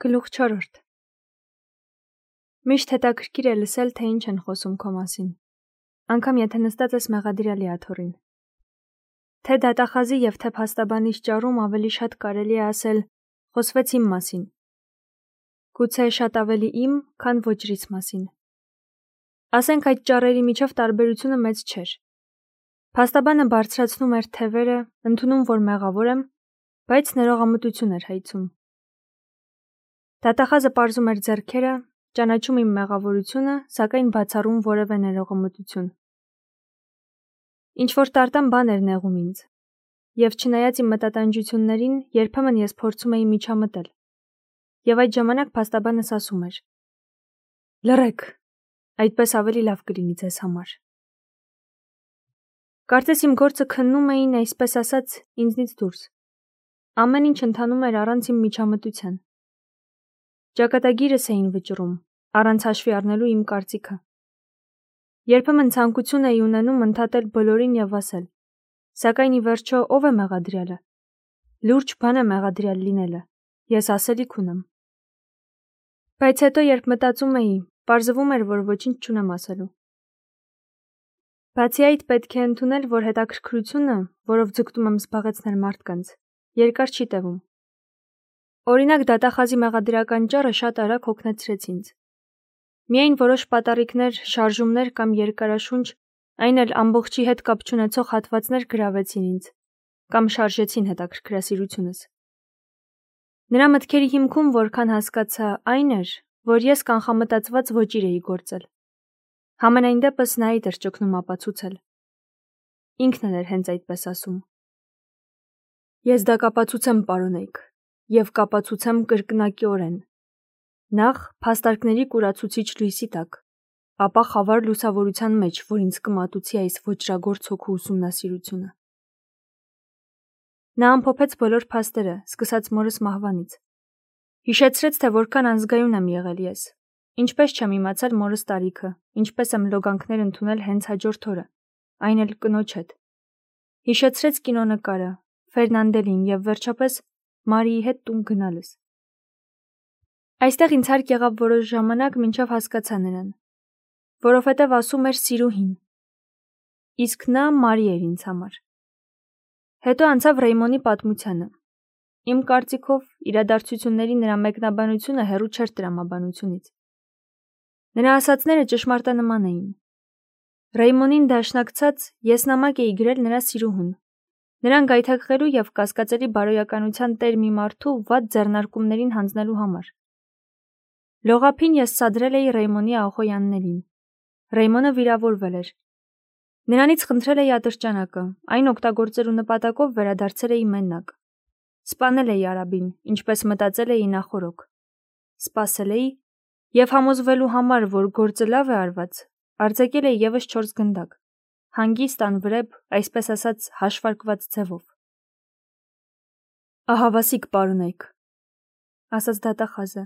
Գլուխ 4. Միշտ հետաքրքիր է լսել, թե ինչ են խոսում քո մասին, անգամ եթե նստած ես մեղադրյալի աթոռին։ Թե դատախազի եւ թե փաստաբանիչ ճառում ավելի շատ կարելի է ասել խոսվեց իմ մասին։ Գուցե շատ ավելի իմ, քան ոչրից մասին։ Ասենք այդ ճառերի միջև տարբերությունը մեծ չէր։ Փաստաբանը բարձրացնում էր թևերը, ընդունում, որ մեղավոր եմ, բայց ներողամտություն էր հայցում։ Դատախազը պարզում էր ձեռքերը, ճանաչում իմ մեղավորությունը, սակայն բացառում որևէ ներողամտություն։ Ինչ-որ տարտան բան էր նեղում ինձ, եւ չնայած իմ մտատանջություններին, երբեմն ես փորձում էի միջամտել։ Եվ այդ ժամանակ փաստաբանս ասում էր. «Լռեք, այդպես ավելի լավ կլինի ձեզ համար»։ Կարծես իմ գործը քննում էին, այսպես ասած, ինձնից դուրս։ Ամեն ինչ ընթանում էր առանց իմ միջամտության։ Ճակատագիրս էին վճռում, առանց հաշվի առնելու իմ կարծիքը։ Երբեմն ցանկություն էի ունենում ընդհատել բոլորին եւ ասել. «Սակայն ի վերջո ով է մեղադրյալը»։ Լուրջ բան է մեղադրյալ լինելը, ես ասելիք ունեմ։ Բայց հետո երբ մտածում էի, պարզվում էր, որ ոչինչ չունեմ ասելու։ Բացի այդ, պետք է ընդունել, որ հետաքրքրությունը, որով ձգտում եմ զբաղեցնել մարդկանց, երկար չի տևում։ Օրինակ, դատախազի մեղադրական ճառը շատ արագ հոգնեցրեց ինձ։ Միայն որոշ պատառիկներ, շարժումներ կամ երկարաշունչ, այն էլ ամբողջի հետ կապ չունեցող հատվածներ գրավեցին ինձ կամ շարժեցին հետաքրքրասիրությունս։ Նրա մտքերի հիմքում, որքան հասկացա, այն էր, որ ես կանխամտածված ոճիր էի գործել։ Համենայն դեպս նա այդ էր ճգնում ապացուցել։ Ինքն էր հենց այդպես ասում։ Ես դա կապացուցեմ, պարոնայք, եւ կապացուցեմ կրկնակիորեն։ Նախ փաստարկների կուրացուցիչ լույսի տակ, ապա խավար լուսավորության մեջ, որ ինձ կմատուցի այս ոճրագործ հոգու ուսումնասիրությունը։ Նա ամփոփեց բոլոր փաստերը, սկսած մորս մահվանից։ Հիշեցրեց, թե որքան անզգայուն եմ եղել ես, ինչպես չեմ իմացել մորս տարիքը, ինչպես եմ լոգանքներ ընդունել հենց հաջորդ օրը, այն էլ կնոջ հետ։ Հիշեցրեց կինոնկարը, Ֆերնանդելին եւ վերջապես Մարիի հետ տուն գնալս։ Այստեղ ինձ հարկ եղավ որոշ ժամանակ, մինչև հասկացա նրան, որովհետև ասում էր սիրուհին։ Իսկ նա Մարի էր ինձ համար։ Հետո անցավ Ռեյմոնի պատմությանը։ Իմ կարծիքով, իրադարձությունների նրա մեկնաբանությունը հեռու չէր տրամաբանությունից։ Նրա ասածները ճշմարտանման էին։ Ռեյմոնին դաշնակցած ես նամակ էի գրել նրա սիրուհուն, նրան գայթակղելու եւ կասկածելի բարոյականության տեր մի մարդու վատ ձեռնարկումներին հանձնելու համար։ Լողափին ես սադրել էի Ռեյմոնի Ախոյաններին։ Ռեյմոնը վիրավորվել էր։ Նրանից խնդրել էի ատրճանակը, այն օգտագործելու նպատակով վերադարձել էի մենակ։ Սպանել էի Արաբին, ինչպես մտածել էի նախօրոք։ Սպասել էի եւ համոզվելու համար, որ գործը լավ է արված, արձակել էի եւս 4 գնդակ։ Հանգիստ անվրեպ, այսպես ասած, հաշվարկված ձևով։ Ահավասիկ պարոնայք, ասաց դատախազը։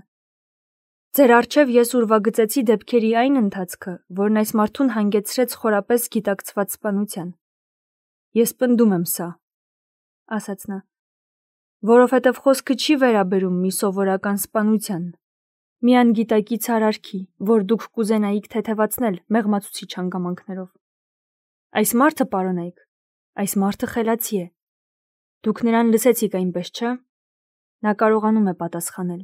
Ձեր առջև ես ուրվագծեցի դեպքերի այն ընթացքը, որն այս մարդուն հանգեցրեց խորապես գիտակցված սպանության։ Ես պնդում եմ սա, ասաց նա, որովհետև խոսքը չի վերաբերում մի սովորական սպանության, մի անգիտակից արարքի, որ դուք կուզենայիք թեթևացնել մեղմացուցիչ հանգամանքներով։ Այս մարդը, պարոնայք, այս մարդը խելացի է։ Դուք նրան լսեցիք այնպես, չէ՞։ Նա կարողանում է պատասխանել։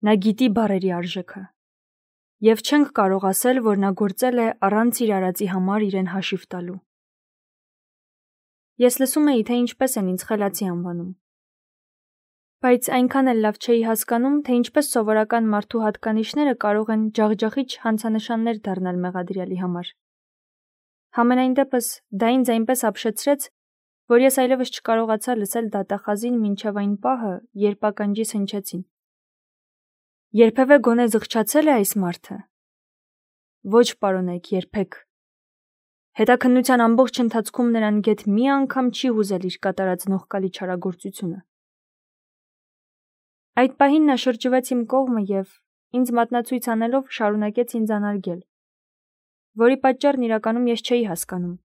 Նա գիտի բառերի արժեքը։ Եվ չենք կարող ասել, որ նա գործել է առանց իր արածի համար իրեն հաշիվ տալու։ Ես լսում էի, թե ինչպես են ինձ խելացի անվանում։ Բայց այնքան էլ լավ չէի հասկանում, թե ինչպես սովորական մարդու հատկանիշները կարող են ջախջախիչ հանցանշաններ դառնալ մեղադրյալի համար։ Համենայն դեպս դա ինձ այնպես ապշեցրեց, որ ես այլևս չկարողացա լսել դատախազին մինչև այն պահը, երբ ականջիս հնչեցին. Երբևէ գոնե զղջացել է այս մարդը։ Ոչ, պարոնայք, երբեք։ Հետաքննության ամբողջ ընթացքում նրան գեթ մի անգամ չի հուզել իր կատարած նողկալի չարագործությունը։ Այդ պահին նա շրջվեց իմ կողմը եւ, ինձ մատնացույց անելով, շարունակեց ինձ անարգել, որի պատճառն իրականում ես չէի հասկանում։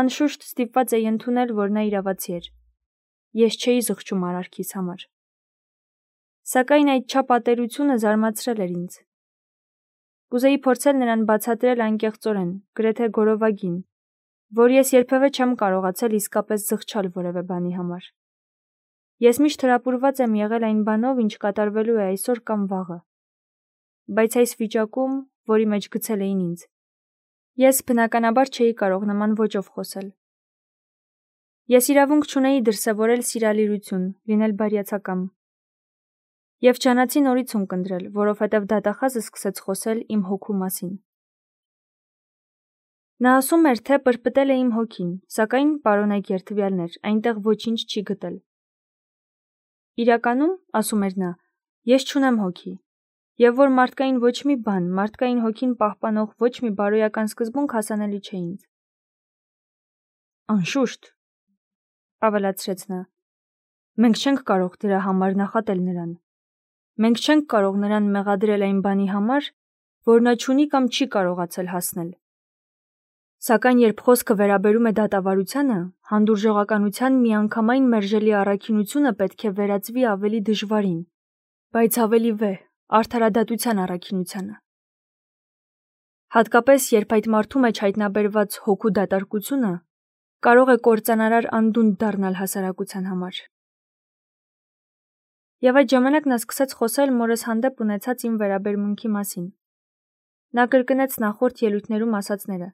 Անշուշտ ստիպված էի ընդունել, որ նա իրավացի էր։ Ես չէի զղջում արարքիս համար։ Սակայն այդ չապատերությունը զարմացրել էր ինձ։ Կուզեի փորձել նրան բացատրել անկեղծորեն, գրեթե գորովագին, որ ես երբևէ չեմ կարողացել իսկապես զղջալ որևէ բանի համար։ Ես միշտ հրապուրված եմ եղել այն բանով, ինչ կատարվելու է այսօր կամ վաղը։ Բայց այս վիճակում, որի մեջ գցել էին ինձ, ես բնականաբար չէի կարող նման ոճով խոսել։ Ես իրավունք չունեի դրսևորել սիրալիրություն, լինել բարյացակամ։ Եվ չանացի նորից ունկնդրել, որովհետև դատախազը սկսեց խոսել իմ հոգու մասին։ Նա ասում էր, թե պրպտել է իմ հոգին, սակայն, պարոնայք երդվյալներ, այնտեղ ոչինչ չի գտել։ Իրականում, ասում էր նա, ես չունեմ հոգի, եւ որ մարդկային ոչ մի բան, մարդկային հոգին պահպանող ոչ մի բարոյական սկզբունք հասանելի չէ ինձ։ Անշուշտ, ավելացրեց նա, մենք չենք կարող դրա համար նախատել նրան։ Մենք չենք կարող նրան մեղադրել այն բանի համար, որ նա չունի կամ չի կարողացել հասնել։ Սակայն երբ խոսքը վերաբերում է դատավարությանը, հանդուրժողականության միանգամայն մերժելի առաքինությունը պետք է վերածվի ավելի դժվարին, բայց ավելի վեհ, արդարադատության առաքինությանը։ Հատկապես, երբ այդ մարդու մեջ հայտնաբերված հոգու դատարկությունը կարող է կործանարար անդունդ դառնալ հասարակության համար։ Եվ այդ ժամանակ նա սկսեց խոսել մորս հանդեպ ունեցած իմ վերաբերմունքի մասին։ Նա կրկնեց նախորդ ելույթներում ասածները։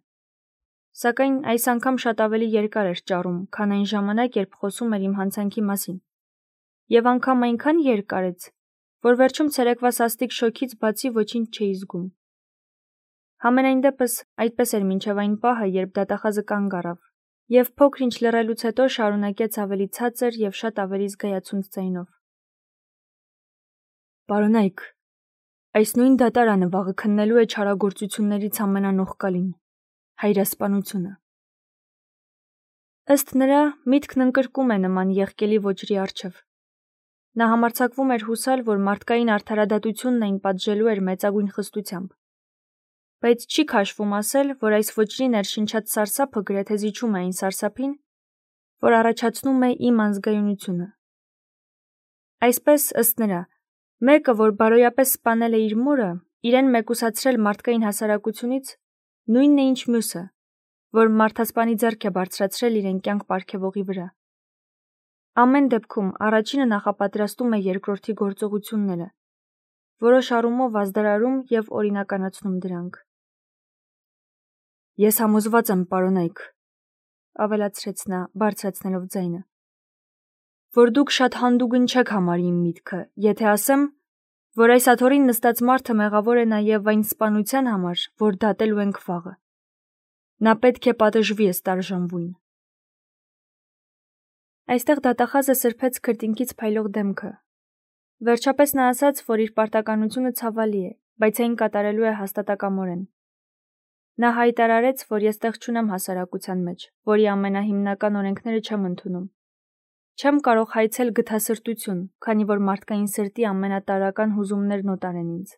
Սակայն այս անգամ շատ ավելի երկար էր ճառում, քան այն ժամանակ, երբ խոսում էր իմ հանցանքի մասին։ Եվ անգամ այնքան երկարեց, որ վերջում ցերեկվա սաստիկ շոքից բացի ոչինչ չէի զգում։ Համենայն դեպս այդպես էր մինչև այն պահը, երբ դատախազը կանգ առավ, եւ փոքր-ինչ լռելուց հետո շարունակեց ավելի ցածր եւ շատ ավելի զգայացունց ձայնով. Պարոնայք, այս նույն դատարանը վաղը քննելու է չարագործություններից ամենանողկալին, հայրասպանությունը։ Ըստ նրա, միտքն ընկրկում է նման եղկելի ոճրի առջև։ Նա համարձակվում էր հուսալ, որ մարդկային արդարադատությունն այն պատժելու էր մեծագույն խստությամբ։ Բայց չի քաշվում ասել, որ այս ոճրի ներշնչած սարսափը գրեթե զիջում է այն սարսափին, որ առաջացնում է իմ անզգայունությունը։ Այսպես, ըստ նրա, մեկը, որ բարոյապես սպանել է իր մորը, իրեն մեկուսացրել մարդկային հասարակությունից, նույնն է ինչ մյուսը, որ մարդասպանի ձեռք է բարձրացրել իրեն կյանք պարգևողի վրա։ Ամեն դեպքում առաջինը նախապատրաստում է երկրորդի գործողությունները, որոշ առումով ազդարարում եւ օրինականացնում դրանք։ Ես համոզված եմ, պարոնայք, ավելացրեց նա, բարձրացնելով ձայնը, որ դուք շատ հանդուգն չեք համարի իմ միտքը, եթե ասեմ, որ այս աթոռին նստած մարդը մեղավոր է նաև այն սպանության համար, որ դատելու ենք վաղը։ Նա պետք է պատժվի ըստ արժանվույն։ Այստեղ դատախազը սրբեց քրտինքից փայլող դեմքը։ Վերջապես նա ասաց, որ իր պարտականությունը ցավալի է, բայց այն կատարելու է հաստատակամորեն։ Նա հայտարարեց, որ ես տեղ չունեմ հասարակության մեջ, որի ամենահիմնական օրենքները չեմ ընդունում։ Չեմ կարող հայցել գթասրտություն, քանի որ մարդկային սրտի ամենատարրական հուզումներն օտար են ինձ։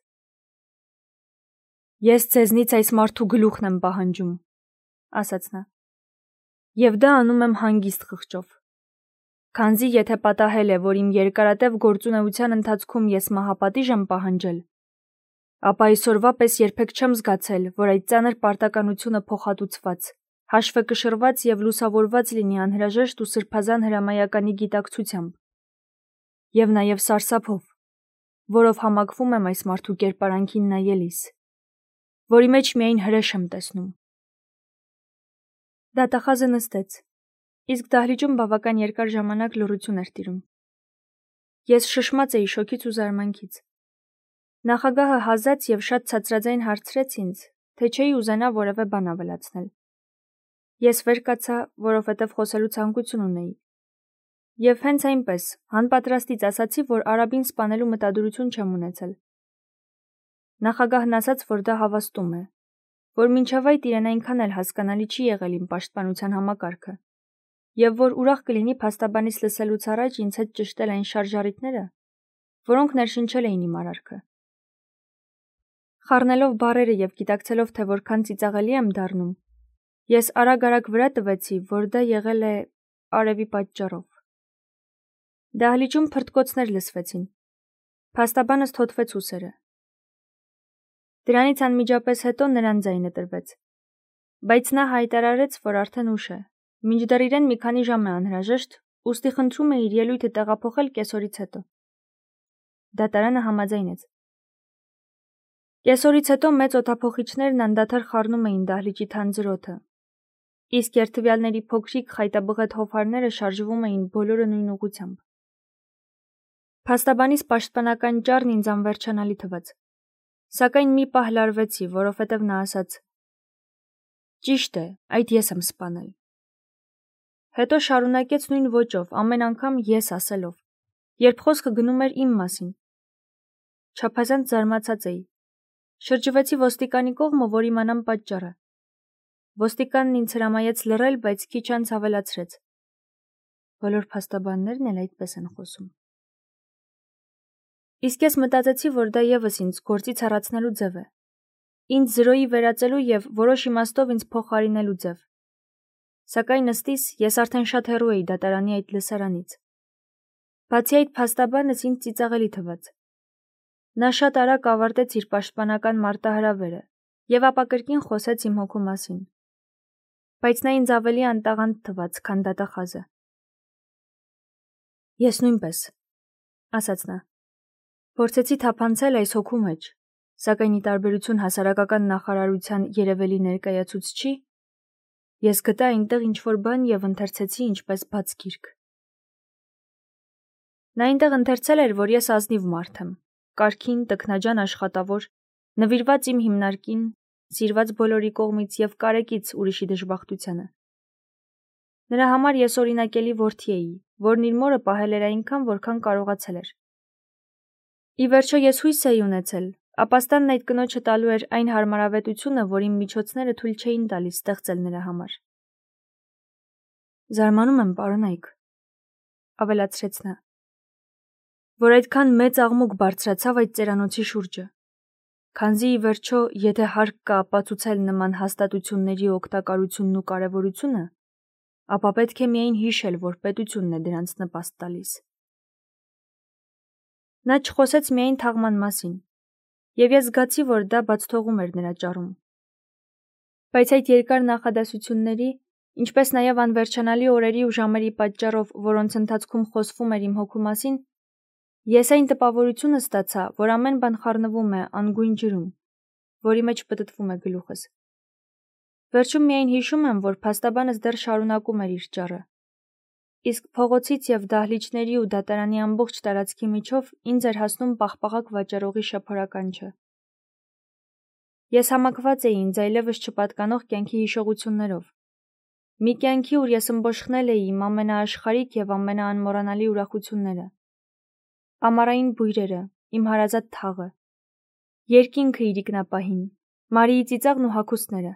Ես ձեզնից այս մարդու գլուխն եմ պահանջում, ասաց նա։ Եվ դա անում եմ հանգիստ խղճով։ Քանզի եթե պատահել է, որ իմ երկարատև գործունեության ընթացքում ես մահապատիժ եմ պահանջել, ապա այսօրվա պես երբեք չեմ զգացել, որ այդ ծանր պարտականությունը փոխհատուցված, հաշվեկշռված եւ լուսավորված լինի անհրաժեշտ ու սրբազան հրամայականի գիտակցությամբ եւ նաեւ սարսափով, որով համակվում եմ այս մարդու կերպարանքին նայելիս, որի մեջ միայն հրեշ եմ տեսնում։ Դատախազը նստեց, իսկ դահլիճում բավական երկար ժամանակ լռություն էր տիրում։ Ես շշմած էի շոքից ու զարմանքից։ Նախագահը հազաց եւ շատ ցածրաձայն հարցրեց ինձ, թե չէի ուզենա որևէ բան ավելացնել։ Ես վեր կացա, որովհետև խոսելու ցանկություն ունեի։ Եվ հենց այնպես, հանպատրաստից ասացի, որ արաբին սպանելու մտադրություն չեմ ունեցել։ Նախագահն ասաց, որ դա հավաստում է, որ մինչև այդ իրեն այնքան էլ հասկանալի չի եղել իմ պաշտպանության համակարգը, եւ որ ուրախ կլինի փաստաբանից լսելուց առաջ ինձ հետ ճշտել այն շարժառիթները, որոնք ներշնչել էին իմ արարքը։ Խառնելով բառերը եւ գիտակցելով, թե որքան ծիծաղելի եմ դառնում, ես արագ-արագ վրա տվեցի, որ դա եղել է արևի պատճառով։ Դահլիճում փրտկոցներ լսվեցին։ Փաստաբանս թոթվեց ուսերը։ Դրանից անմիջապես հետո նրան ձայնը տրվեց, բայց նա հայտարարեց, որ արդեն ուշ է, մինչդեռ իրեն մի քանի ժամ է անհրաժեշտ, ուստի խնդրում է իր ելույթը տեղափոխել կեսօրից հետո։ Դատարանը համաձայնեց։ Կեսօրից հետո մեծ օդափոխիչներն անդադար խառնում էին դահլիճի թանձր օդը, իսկ երթվյալների փոքրիկ խայտաբղետ հովհարները շարժվում էին բոլորը նույն ուղղությամբ։ Փաստաբանիս պաշտպանական ճառն ինձ անվերջանալի թվաց, սակայն մի պահ լարվեցի, որովհետև նա ասաց. «Ճիշտ է, այդ ես եմ սպանել»։ Հետո շարունակեց նույն ոճով, ամեն անգամ ես ասելով, երբ խոսքը գնում էր իմ մասին։ Չափազանց զարմացած էի։ Շրջվեցի ոստիկանի կողմը, որ իմանամ պատճառը։ Ոստիկանն ինձ հրամայեց լռել, բայց քիչ անց ավելացրեց. «Բոլոր փաստաբաններն էլ այդպես են խոսում»։ Իսկ ես մտածեցի, որ դա ևս ինձ գործից հեռացնելու ձև է։ Ինձ զրոյի վերածելու և որոշ իմաստով ինձ փոխարինելու ձև։ Սակայն ըստիս ես արդեն շատ հեռու էի դատարանի այդ լսարանից։ Բացի այդ, փաստաբանս ինձ ծիծաղելի թվաց։ Նա շատ արագ ավարտեց իր պաշտպանական մարտահրավերը և ապա կրկին խոսեց իմ հոգու մասին։ Բայց նա ինձ ավելի անտաղանդ թվաց, քան դատախազը։ «Ես նույնպես», ասաց նա, «փորձեցի թափանցել այս հոգու մեջ, սակայն ի տարբերություն հասարակական նախարարության երևելի ներկայացուցչի, ես գտա այնտեղ ինչ-որ բան և ընթերցեցի ինչպես բաց գիրք»։ Նա այնտեղ ընթերցել էր, որ ես ազնիվ մարդ եմ, կարգին, տքնաջան աշխատավոր, նվիրված իմ հիմնարկին, սիրված բոլորի կողմից և կարեկից ուրիշի դժբախտությանը։ Նրա համար ես օրինակելի որդի էի, որն իր մորը պահել էր այնքան, որքան կարողացել էր։ Ի վերջո ես հույս էի ունեցել, ապաստանն այդ կնոջը տալու էր այն հարմարավետությունը, որ իմ միջոցները թույլ չէին տալիս ստեղծել նրա համար։ «Զարմանում եմ, պարոնայք», ավելացրեց նա, «որ այդքան մեծ աղմուկ բարձրացավ այդ ծերանոցի շուրջը, քանզի ի վերջո, եթե հարկ կա ապացուցել նման հաստատությունների օգտակարությունն ու կարևորությունը, ապա պետք է միայն հիշել, որ պետությունն է դրանց նպաստ տալիս»։ Նա չխոսեց միայն թաղման մասին, և ես զգացի, որ դա բացթողում էր նրա ճառում։ Բայց այդ երկար նախադասությունների, ինչպես նաև անվերջանալի օրերի ու ժամերի պատճառով, որոնց ընթացքում խոսվում էր իմ հոգու մասին, ես այն տպավորությունը ստացա, որ ամեն բան խառնվում է անգույն ջրում, որի մեջ պտտվում է գլուխս։ Վերջում միայն հիշում եմ, որ փաստաբանս դեռ շարունակում էր իր ճառը, իսկ փողոցից և դահլիճների ու դատարանի ամբողջ տարածքի միջով ինձ էր հասնում պաղպաղակ վաճառողի շափորականչը։ Ես համակված էի ինձ այլևս չպատկանող կյանքի հիշողություններով։ Մի կյանքի, ուր ես ըմբոշխնել էի իմ ամենաաշխարհիկ և ամենաանմոռանալի ուրախությունները։ Ամառային բույրերը, իմ հարազատ թաղը, երկինքը իր ինքնապահին, Մարիի ծիծաղն ու հագուստները։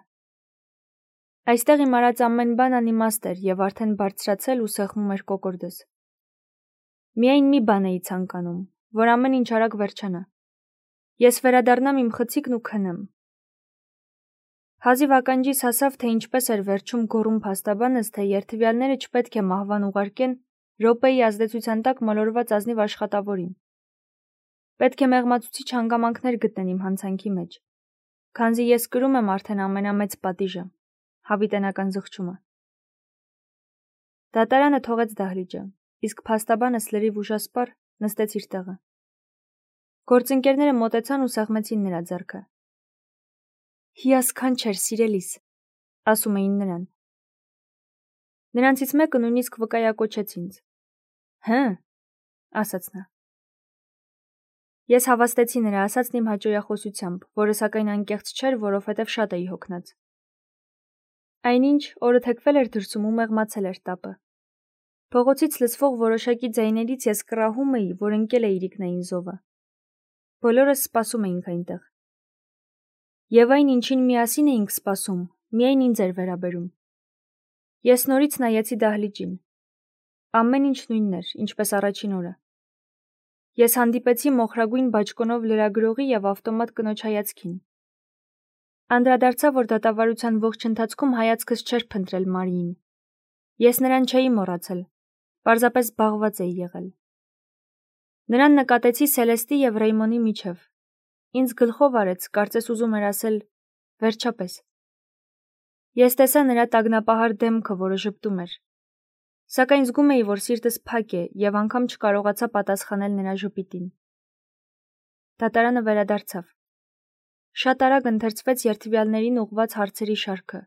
Այստեղ իմ արած ամեն բան անիմաստ էր և արդեն բարձրացել ու սեղմում էր կոկորդս։ Միայն մի բան էի ցանկանում, որ ամեն ինչ արագ վերջանա։ Ես վերադառնամ իմ խցիկն ու քնեմ։ Հազիվ ականջիս հասավ, թե ինչպես էր վերջում գոռում փաստաբանս, թե երթվյալները չպետք է մահվան ուղարկեն րոպեի ազդեցության տակ մոլորված ազնիվ աշխատավորին։ Պետք է մեղմացուցիչ հանգամանքներ գտնեն իմ հանցանքի մեջ, քանզի ես կրում եմ արդեն ամենամեծ պատիժը, հավիտենական զղջումը։ Դատարանը թողեց դահլիճը, իսկ փաստաբանս լրիվ ուժասպառ նստեց իր տեղը։ Գործընկերները մոտեցան ու սեղմեցին նրա ձեռքը։ «Հիասքանչ էր, սիրելիս», ասում էին նրան։ Նրանցից մեկը նույնիսկ վկայակոչեց ինձ։ «Հը», ասաց նա։ Ես հավաստեցի նրա ասածն իմ հաճոյախոսությամբ, որը սակայն անկեղծ չէր, որովհետև շատ էի հոգնած։ Այնինչ, օրը թեքվել էր դրսում ու մեղմացել էր տապը։ Փողոցից լսվող որոշակի ձայներից ես կռահում էի, որ ընկել է իրիկնային զովը։ Բոլորս սպասում էինք այնտեղ։ Եվ այն, ինչին միասին էինք սպասում, միայն ինձ էր վերաբերում։ Ես նորից նայեցի դահլիճին։ Ամեն ինչ նույնն էր, ինչպես առաջին օրը։ Ես հանդիպեցի մոխրագույն բաճկոնով լրագրողի և ավտոմատ կնոջ հայացքին։ Անդրադարձա, որ դատավարության ողջ ընթացքում հայացքս չէր փնտրել Մարիին։ Ես նրան չէի մոռացել, պարզապես զբաղված էի եղել։ Նրան նկատեցի Սելեստի և Ռեյմոնի միջև։ Ինձ գլխով արեց, կարծես ուզում էր ասել. վերջապես։ Ես տեսա նրա տագնապահար դեմքը, որը ժպտում էր։ Սակայն զգում էի, որ սիրտս փակ է և անգամ չկարողացա պատասխանել նրա ժպիտին։ Դատարանը վերադարձավ։ Շատ արագ ընթերցվեց երթվյալներին ուղղված հարցերի շարքը։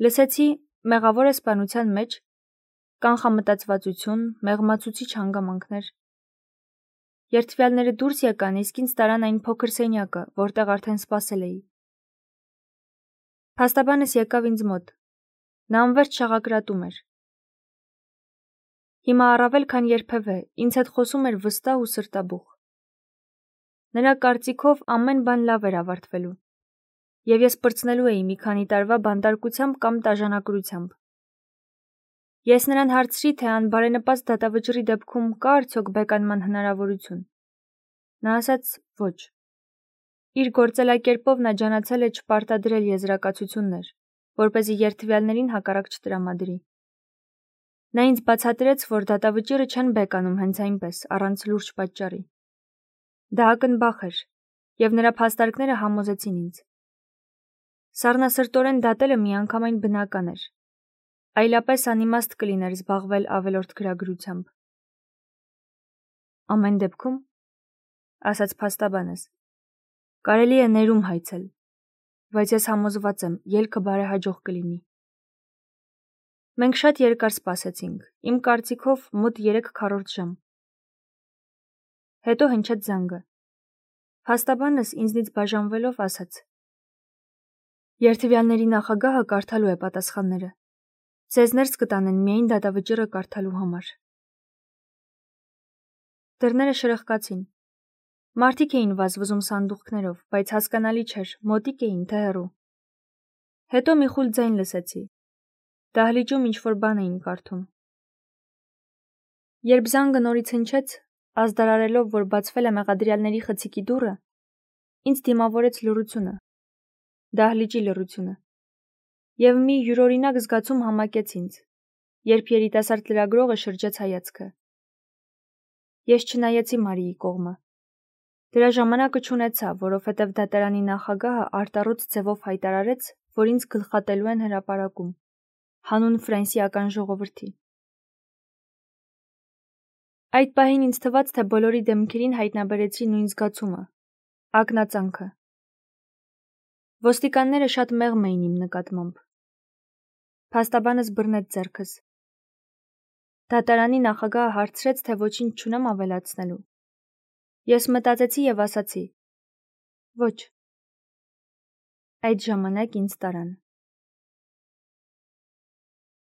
Լսեցի մեղավոր է սպանության մեջ, կանխամտածվածություն, մեղմացուցիչ հանգամանքներ։ Երթվյալները դուրս եկան, իսկ ինձ տարան այն փոքր սենյակը, որտեղ արդեն սպասել էի։ Փաստաբանս եկավ ինձ մոտ։ Նա անվերջ շաղակրատում էր։ Հիմա առավել քան երբևէ ինձ հետ խոսում էր վստահ ու սրտաբուխ։ Նրա կարծիքով ամեն բան լավ էր ավարտվելու, և ես պրծնելու էի մի քանի տարվա բանտարկությամբ կամ տաժանակրությամբ։ Ես նրան հարցրի, թե անբարենպաստ դատավճռի դեպքում կա արդյոք բեկանման հնարավորություն։ Նա ասաց ոչ։ Իր գործելակերպով նա ջանացել է չպարտադրել եզրակացություններ, որպեսզի երթվյալներին հակառակ չտրամադրի։ Նա ինձ բացատրեց, որ դատավճիռը չեն բեկանում հենց այնպես, առանց լուրջ պատճառի։ Դա ակնբախ էր, և նրա փաստարկները համոզեցին ինձ։ Սառնասրտորեն դատելը միանգամայն բնական էր։ Այլապես անիմաստ կլիներ զբաղվել ավելորդ գրագրությամբ։ Ամեն դեպքում, ասաց փաստաբանս, կարելի է ներում հայցել, բայց ես համոզված եմ, ելքը բարեհաջող կլինի։ Մենք շատ երկար սպասեցինք, իմ կարծիքով մոտ 3/4 ժամ։ Հետո հնչեց զանգը։ Փաստաբանս ինձնից բաժանվելով ասաց. Երթվյալների նախագահը կարդալու է պատասխանները։ Ձեզ ներս կտանեն միայն դատավճիռը կարդալու համար։ Դռները շրխկացին։ Մարդիկ էին վազվզում սանդուղքներով, բայց հասկանալի չէր, մոտիկ էին, թե հեռու։ Հետո մի խուլ ձայն լսեցի։ Դահլիճում ինչ-որ բան էին կարդում։ Երբ զանգը նորից հնչեց, ազդարարելով, որ բացվել է մեղադրյալների խցիկի դուռը, ինձ դիմավորեց լռությունը, դահլիճի լռությունը, և մի յուրօրինակ զգացում համակեց ինձ, երբ երիտասարդ լրագրողը շրջեց հայացքը։ Ես չնայեցի Մարիի կողմը։ Դրա ժամանակը չունեցա, որովհետև դատարանի նախագահը արտառոց ձևով հայտարարեց, որ ինձ գլխատելու են հրապարակում, հանուն ֆրանսիական ժողովրդի։ Այդ պահին ինձ թվաց, թե բոլորի դեմքերին հայտնաբերեցի նույն զգացումը, ակնածանքը։ Ոստիկանները շատ մեղմ էին իմ նկատմամբ։ Փաստաբանս բռնեց ձեռքս։ Դատարանի նախագահը հարցրեց, թե ոչինչ չունեմ ավելացնելու։ Ես մտածեցի և ասացի. ոչ։ Այդ ժամանակ ինձ տարան։